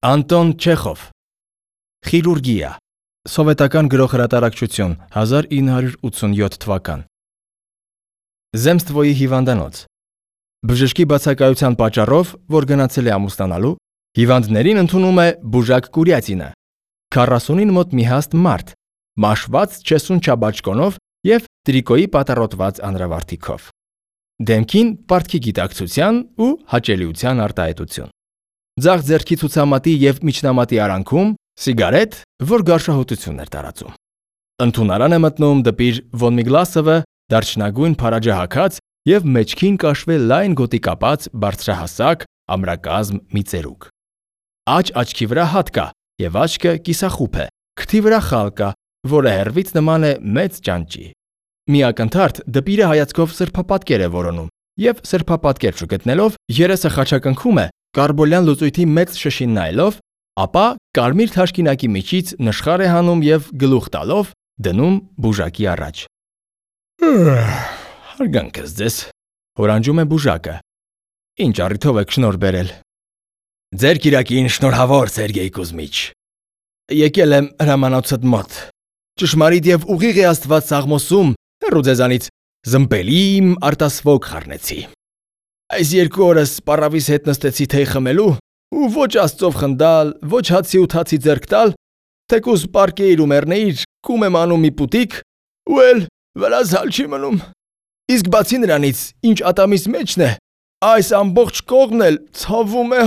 Անտոն Չեխով Խիրուրգիա Սովետական գրողհրատարակչություն 1987 թվական Զեմստվոյի հիվանդանոց Բժշկի բացակայության պատճառով, որ գնացել է ամուսնանալու, հիվանդներին ընդունում է Բուժակ Կուրյատինը, 40-ին մոտ մի հաստ մարդ, մաշված չեսուն չաբաճկոնով և տրիկոյի պատառոտված անրավարտիքով։ Դեմքին պարտքի գիտակցության ու հաճելիության արտահայտություն։ Ձախ ձեռքի ցուցամատի և միջնամատի արանքում սիգարետ, որ գարշահոտություն էր տարածում։ Ընդունարան է մտնում դպիր Վոնմիգլասովը, դարչնագույն փարաջահագած և մեջքին կաշվե լայն գոտի կապած բարձրահասակ ամրակազմ մի ծերուկ։ Աջ աչքի վրա հատ կա և աչքը կիսախուփ է, քթի վրա խալ կա, որը հեռվից նման է մեծ ճանճի։ Մի ակնթարթ դպիրը հայացքով սրբապատկեր է որոնում և սրբապատկեր չգտնելով երեսը խաչակնքում է կարբոլյան լուծույթի մեծ շշին նայելով, ապա կարմիր թաշկինակի միջից նշխար է հանում և գլուխ տալով դնում բուժակի առաջ։ Հարգանքս ձեզ, հորանջում է բուժակը։ Ինչ առիթով եք շնորհ բերել։ Ձեր կիրակին շնորհավոր Սերգեյ Կուզմիչ։ Եկել եմ հրամանոցդ մոտ։ Ճշմարիտ և ուղիղ է Աստված սաղմոսում, հեռու ձեզանից զմպելի իմ արտասվոգ խառնեցի։ Այս 2 օրս պառավիս հետ նստեցի թեյ խմելու ու ոչ Աստծով խնդալ, ոչ հացի ու թացի ձեռք տալ, թեկուզ պարկեիր ու մեռնեիր, կում եմ անում մի պուտիկ, ու էլ վրաս հալ չի մնում։ Իսկ բացի նրանից, ինչ ատամիս մեջն է, այս ամբողջ կողմն էլ ցավում է,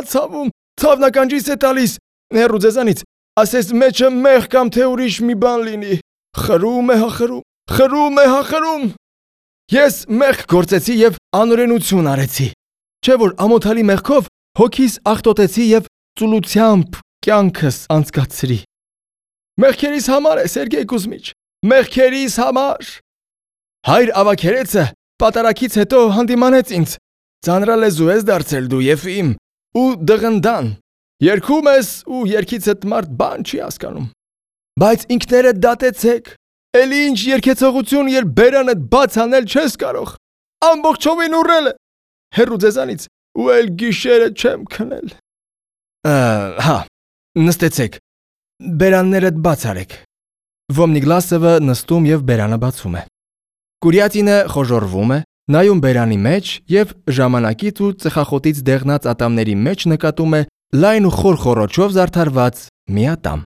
ցավում, ցավնականջիս է տալիս, հեռու ձեզանից, ասես մեջը մեղ կամ թե ուրիշ մի բան լինի, խրում է, խրում։ Ես մեղք գործեցի և անօրենություն արեցի, չէ որ ամոթալի մեղքով հոգիս աղտոտեցի և ծուլությամբ կյանքս անցկացրի։ Մեղքերիս համար է, Սերգեյ Կուզմիչ, մեղքերիս համար։ Հայր ավագերեցը պատարագից հետո հանդիմանեց ինձ, ձանրալեզու ես դարձել դու և իմ, ու դղնդան, երգում ես ու երգիցդ մարդ բան չի հասկանում։ Բայց ինքներդ դատեցեք, էլի ինչ երգեցողություն, երբ բերանդ բաց անել չես կարող, ամբողջովին ուռել է, հեռու ձեզանից, ու էլ գիշերը չեմ քնել։ Հա, նստեցեք, բերաններդ բաց արեք։ Վոնմիգլասովը նստում և բերանը բացում է։ Կուրյատինը խոժոռվում է, նայում բերանի մեջ և ժամանակից ու ծխախոտից դեղնած ատամների մեջ նկատում է լայն ու խոր խոռոչով զարդարված մի ատամ։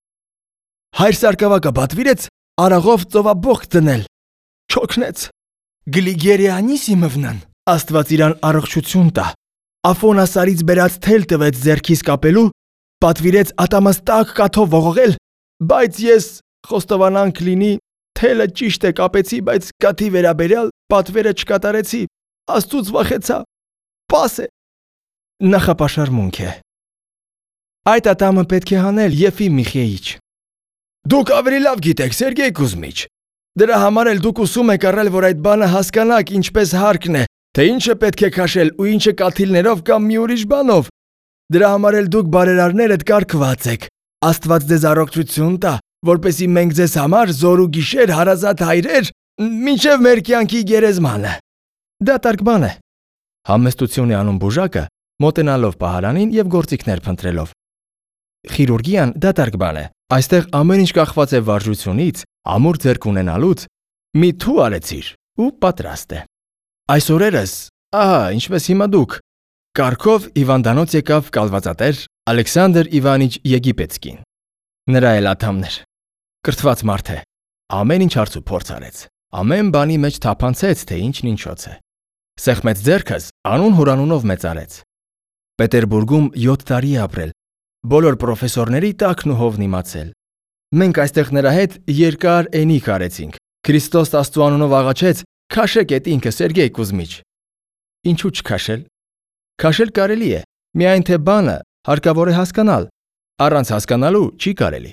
Հայր սարկավակը պատվիրեց արաղով ծովաբոխ դնել, չօգնեց։ Գլիգերիանիսիմովնան, Աստված իրան առողջություն տա, Աֆոնասարից բերած թել տվեց ձեռքիս կապելու, պատվիրեց ատամս տաք կաթով ողողել, բայց ես խոստովանանք լինի, թելը ճիշտ է կապեցի, բայց կաթի վերաբերյալ պատվերը չկատարեցի, Աստծուց վախեցա, պաս է, նախապաշարմունք է։ Այդ ատամը պետք է հանել, Եֆիմ Միխեիչ։ Դուք ավելի լավ գիտեք, Սերգեյ Կուզմիչ, դրա համար էլ դուք ուսում եք առել, որ այդ բանը հասկանաք ինչպես հարկն է, թե ինչը պետք է քաշել ու ինչը կաթիլներով կամ մի ուրիշ բանով։ Դրա համար էլ դուք բարերարներդ կարգված եք, Աստված ձեզ առողջություն տա, որպեսզի մենք ձեզ համար զոր ու գիշեր հարազատ հայրեր, մինչև մեր կյանքի գերեզմանը։ Դատարկ բան է։ Համեստություն է անում բուժակը, մոտենալով պահարանին և գործիքներ փնտրելով։ Խիրուրգիան դատարկ բան է։ Այստեղ ամեն ինչ կախված է վարժությունից, ամուր ձեռք ունենալուց, մի թու արեցիր ու պատրաստ է։ Այս օրերս, ահա, ինչպես հիմա դուք, կառքով հիվանդանոց եկավ կալվածատեր Ալեքսանդր Իվանիչ Եգիպետսկին։ Նրա էլ ատամներ։ Կրթված մարդ է, ամեն ինչ հարց ու փորձ արեց, ամեն բանի մեջ թափանցեց, թե ինչն ինչոց է։ Սեղմեց ձեռքս, անուն հորանունով մեծարեց։ Պետերբուրգում 7 տարի է ապրել, բոլոր պրոֆեսորների տակն ու հովն իմացել։ Մենք այստեղ նրա հետ երկար էնիկ արեցինք, Քրիստոս Աստծու անունով աղաչեց, քաշեք էդ ինքը, Սերգեյ Կուզմիչ։ Ինչու չքաշել։ Քաշել կարելի է, միայն թե բանը հարկավոր է հասկանալ, առանց հասկանալու չի կարելի։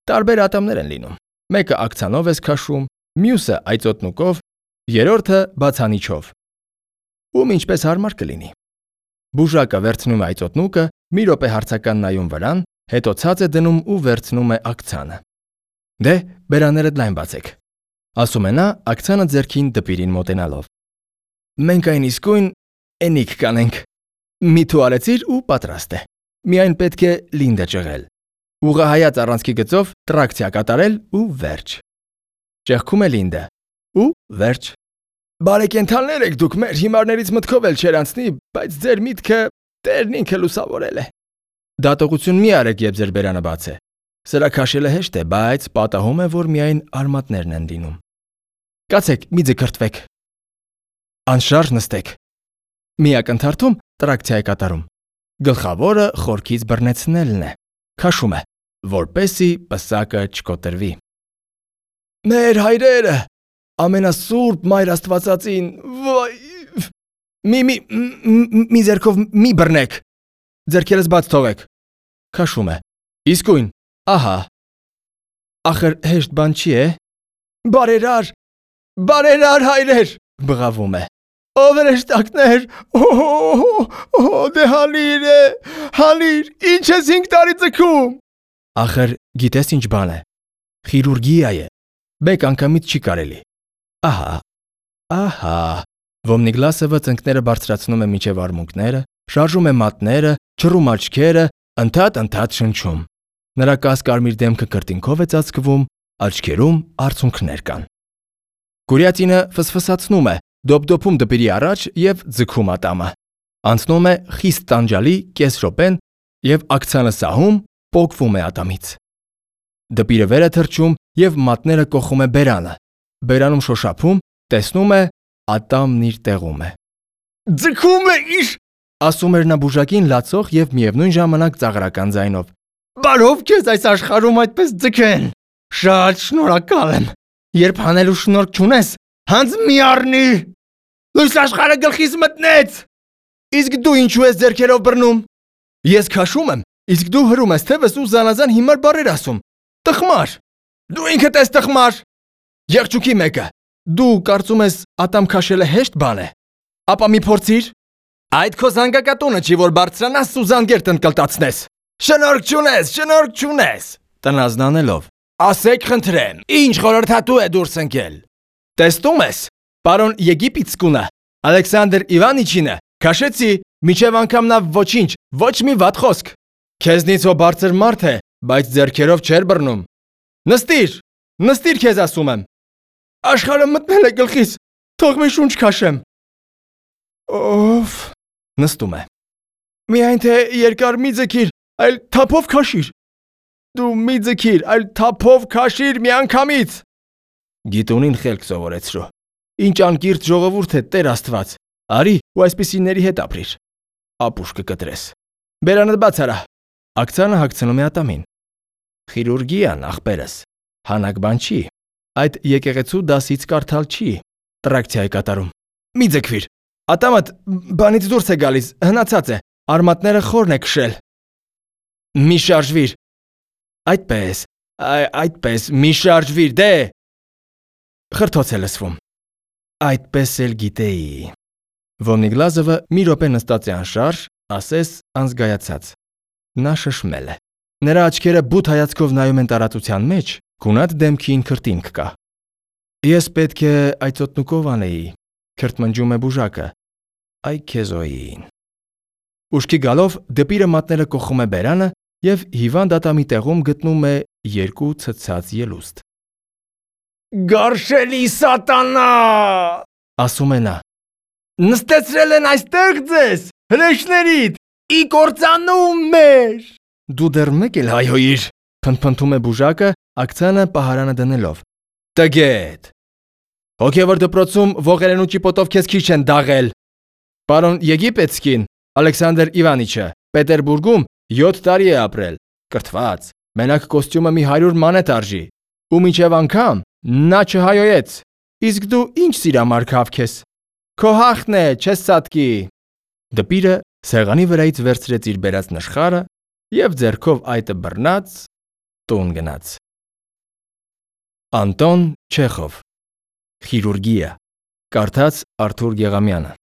Տարբեր ատամներ են լինում, մեկը ակցանով ես քաշում, մյուսը այծոտնուկով, երրորդը բացանիչով։ Ում ինչպես հարմար կլինի։ Բուժակը վերցնում է այծոտնուկը, մի րոպե հարցական նայում վրան, հետո ցած է դնում ու վերցնում է ակցանը։ Դե, բերաններդ լայն բացեք, ասում է նա ակցանը ձեռքին դպիրին մոտենալով։ Մենք այն իսկույն էնիկ կանենք։ Մի թու արեցիր ու պատրաստ է։ միայն պետք է Լինդը ճղել։ Ուղղահայաց առանցքի գծով տրակցիա կատարել ու վերջ։ Ճեղքում է Լինդը։ Ու վերջ։ Բարեկենդաններ եք դուք, մեր հիմարներից մտքով էլ չեր անցնի, բայց ձեր միտքը Տերն ինքը լուսավորել է։ Դատողություն մի արեք, երբ ձեր բերանը բաց է։ Սրա քաշելը հեշտ է, բայց պատահում է, որ միայն արմատներն են լինում։ Կացեք, մի ձգրտվեք։ Անշարժ նստեք։ Միակ ընթարքում տրակցիա է կատարում։ Գլխավորը խորքից բռնեցնելն է։ Քաշում է, որպեսզի պսակը չկոտրվի։ Մեր հայրերը, ամենասուրբ Մայր Աստվածածին, վայ, մի ձեռքով մի բռնեք, ձեռքերս բաց թողեք, քաշում է, իսկույն, ահա, ախր հեշտ բան չի է, բարերար հայրեր, բղավում է, ով հրեշտակներ, դե հալիր է, հալիր, ինչ ես 5 տարի ձգում, ախր գիտես ինչ բան է, խիրուրգիա է, մեկ անգամից չի կարելի, ահա, Վոմնիգլասովը ծնկները բարձրացնում է մինչև արմունկները, շարժում է մատները, չռում աչքերը, ընդհատ շնչում։ Նրա կասկարմիր դեմքը կրտինքով է ծածկվում, աչքերում արցունքներ կան։ Կուրյատինը ֆսֆսացնում է, դոպդոպում դպիրի առաջ և ձգում ատամը։ Անցնում է խիստ տանջալի կես րոպեն և ակցանը սահում, պոկվում է ատամից։ Դպիրը վեր է թռչում և մատները կոխում է բերանը։ Բերանում շոշափում, տեսնում է ատամն իր տեղում է։ Ձգում է իշ, ասում էր նա բուժակին լացող և միևնույն ժամանակ ծաղրական ձայնով։ Բարով քեզ այս աշխարհում այդպես ձգեն։ Շատ շնորհակալ եմ։ Երբ հանելու շնորհք չունես, հանձ մի առնի։ Լույս աշխարհը գլխիս մտնեց։ Իսկ դու ինչու ես ձեռքերով բռնում։ Ես քաշում եմ, իսկ դու հրում ես թևս ու զանազան հիմար բառեր ասում։ Տխմար։ Դու ինքդ ես տխմար։ Եղջուկի մեկը։ Դու կարծում ես ատամ քաշելը հեշտ բան է։ Ապա մի փորձիր։ Այդ քո զանգակատունը չի, որ բարձրանաս ու զանգեր տնկլտացնես։ Շնորհք չունես։ Տնազնանելով։ Ասեք խնդրեմ, ինչ խորհրդատու է դուրս ընկել։ Տեսնում ես, պարոն Եգիպտսկունը, Ալեքսանդր Իվանիչինը, քաշեցի, միջև անգամ նա ոչինչ, ոչ մի վատ խոսք։ Քեզնից ո բարձր մարդ է, բայց ձեռքերով չէր բռնում։ Նստիր քեզ ասում եմ։ Աշխարհը մտնել է գլխիս, թող մի շունչ քաշեմ։ Ով նստում է։ Միայն թե երկար մի ձգիր, այլ թափով քաշիր։ Դու մի ձգիր, այլ թափով քաշիր միանգամից։ Գիտունին խելք սովորեցրու։ Ինչ անկիրթ ժողովուրդ է Տեր Աստված։ Արի ու այսպիսիների հետ ապրիր։ Ապուշ կկտրես։ Բերանդ բաց արա։ Ակցանը հագցնում է ատամին։ Խիրուրգիան, ախպերս, հանակ բան չի։ Այդ եկեղեցու դասից կարդալ չի, տրակցիա է կատարում։ Մի ձգվիր, ատամդ բանից դուրս է գալիս, հնացած է, արմատները խորն է քշել։ Մի շարժվիր։ Այդպես, մի շարժվիր, դե։ Խրթոց է լսվում։ Այդպես էլ գիտեի։ Վոմնիգլազովը մի րոպե նստած է անշարժ, ասես անզգայացած։ Նա շշմել է։ Նրա աչքերը բութ հայացքով նայում են տարածության մեջ, գունատ դեմքին քրտինք կա։ Ես պետք է այծոտնուկով անեի, քրտմնջում է բուժակը, այ քեզոյին։ Ուշքի գալով դպիրը մատները կոխում է բերանը և հիվանդ ատամի տեղում գտնում է 2 ցցած ելուստ։ Գարշելի սատանա, ասում է նա։ Նստեցրել են այստեղ ձեզ, հրեշներիդ, ի կործանում մեր։ Դու դեռ մեկ էլ հայհոյիր, փնթփնթում է բուժակը, ակցանը պահարանը դնելով։ Տգետ։ Հոգևոր դպրոցում ողերեն ու ճիպոտով քեզ քիչ են դաղել։ Պարոն Եգիպտսկին, Ալեքսանդր Իվանիչը, Պետերբուրգում 7 տարի է ապրել, կրթված, մենակ կոստյումը մի 100 մանետ արժի, ու մինչև անգամ նա չհայոյեց, իսկ դու ինչ սիրամարգ հավք ես, քո հաղթն է, չես սատկի։ Դպիրը սեղանի վրայից վերցրեց իր բերած նշխարը և ձեռքով այտը բռնած տուն գնաց։ Անտոն Չեխով, Խիրուրգիա, կարդաց Արթուր Գեղամյանը։